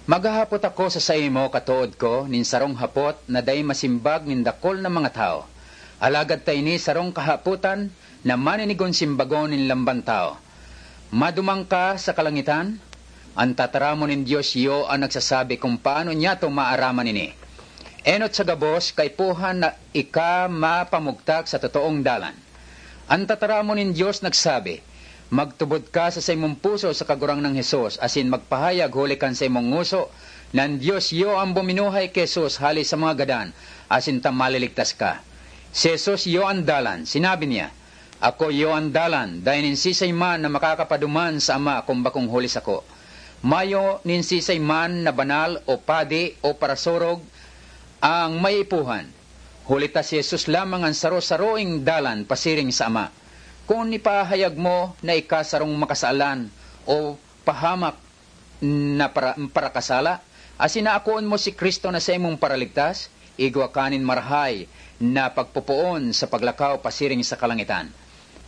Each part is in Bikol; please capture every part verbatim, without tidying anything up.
Maghahapot ako sa saimo, katood ko, nin sarong hapot na dai masimbag nin dakul na mga tawo. Alagad ta ini sarong kahapotan na maninigon simbagon nin lamban tawo. Maduman ka sa kalangitan? An tataramon nin Dios iyo an nagsasabi kun paano niyato maaraman ini. Enot sa gabos, kaipuhan na ika mapamugtak sa totoong dalan. An tataramon nin Dios nagsabi, "Magtubod ka sa saimong puso sa Kagurangnan Jesus, asin magpahayag huli kan saimong ngoso na an Dios iyo an buminuhay ki Jesus hale sa mga gadan, asin ta maliligtas ka." Si Jesus iyo an dalan. Sinabi niya, "Ako iyo an dalan, dai nin sisay man na makakapaduman sa Ama kun bakong huli sako." Mayo nin sisay man na banal o padi o parasurog ang maiipuhan, huli ta si Jesus lamang an saro-saroing dalan pasiring sa Ama. Kun ipahayag mo na ika sarong makasalan o pahamak na para-, parakasala, asin aakoon mo si Cristo na saimong Paraligtas, igwa ka nin marahay na pagpopoon sa paglakaw pasiring sa kalangitan.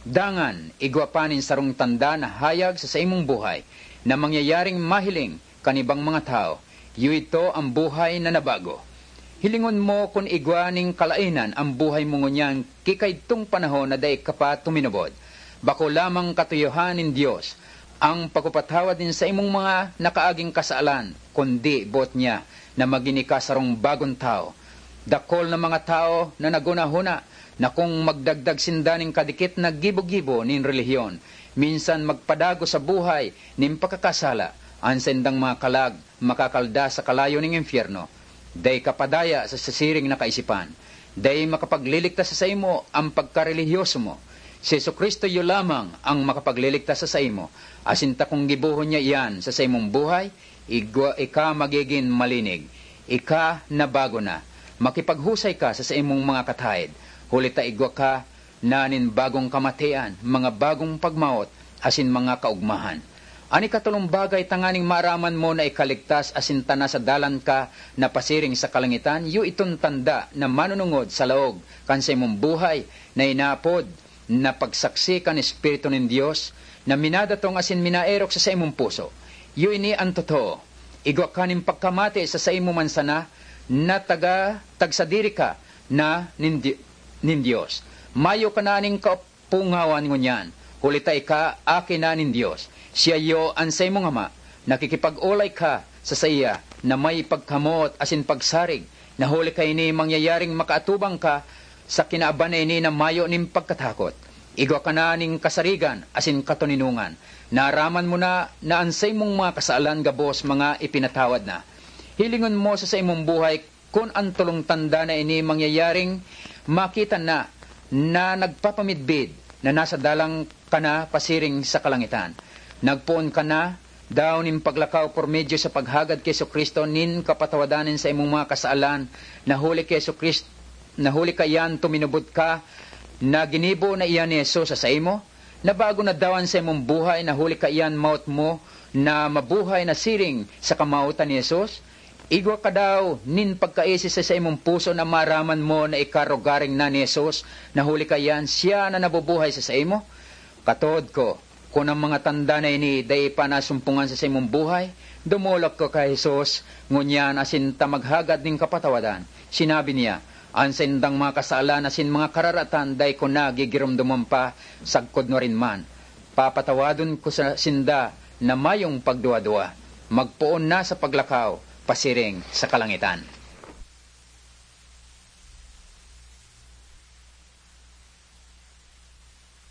Dangan, igwa pa nin sarong tanda na hayag sa saimong buhay na mangyayaring mahiling kan ibang mga tawo, iyo idto an buhay na nabago. Hilingon mo kun igwa nin kalaenan an buhay mo ngunyan ki kaidtong panahon na dai ka pa tuminubod. Bako lamang katuyohan nin Dios ang pagpapatawad nin saimong mga nakaaging kasalan, kundi boot niya na magin ika sarong bagong tawo. Dakul na mga tawo na naghunahuna na kun magdagdag sinda nin kadikit na gibo-gibo nin relihiyon, minsan magpadagos sa buhay nin pakakasala, an saindang mga kalag makakalda sa kalayo nin impyerno. Dai ka padaya sa sasiring na kaisipan. Dai makapagliligtas sa saimo an pagkarelihiyoso mo. Si Jesu-Cristo iyo lamang an makapagliligtas sa saimo, asin ta kun gibohon niya iyan sa saimong buhay, igwa ika magigin malinig. Ika nabago na. Makipaghusay ka sa saimong mga kataed, huli ta igwa ka na nin bagong kamatian, mga bagong pagmawot, asin mga kaogmahan. An ikatolong bagay, tanganing maaraman mo na ikaligtas asin ta nasa dalan ka na pasiring sa kalangitan, iyo iton tanda na manunungod sa laog kan saimong buhay na inaapod na pagsaksi kan Espiritu nin Dios na minadatong asin minaerok sa saimong puso. Iyo ini an totoo. Igwa ka nin pagkamate sa saimo man sana na taga, tagsadiri ka na nin Di-, nin Dios. Mayo ka na nin kapungawan ngunyan, huli ta ika aki na nin Dios. Siya iyo an saimong Ama. Nakikipag-olay ka sa saiya na may pagkamoot asin pagsarig, na huli kaini mangyayaring makaatubang ka sa kinaban na ini na mayo nin pagkatakot. Igwa ka na nin kasarigan asin katoninongan. Naaraman mo na, na an saimong mga kasalan gabos mga ipinatawad na. Hilingon mo sa saimong buhay kun an tolong tanda na ini mangyayaring makita na, na nagpapamidbid na nasa dalan ka na pasiring sa kalangitan. Nagpoon ka na daw nin paglakaw por medio sa paghagad ki Jesu-Cristo nin kapatawadan nin saimong mga kasalan, na huli ki Jesu-Crist-, na huli kaiyan tuminubod ka na ginibo na iyan ni Jesus sa saimo? Nabago na daw an saimong buhay na huli kaiyan mawot mo na mabuhay na siring sa kamawotan ni Jesus? Igwa ka daw nin pagkaisi sa saimong puso na maaraman mo na ika rogaring na ni Jesus, na huli kaiyan siya na nabubuhay sa saimo? Katood ko, kun an mga tanda na ini dai pa nasumpongan sa saimong buhay, dumolok ka ki Jesus ngunyan asin ta maghagad nin kapatawadan. Sinabi niya, "An saindang mga kasalan asin mga kararatan dai ko na gigiromdomon pa sagkod nuarin man. Papatawadon ko sa sinda na mayong pagduwa-duwa. Magpoon na sa paglakaw pasiring sa kalangitan."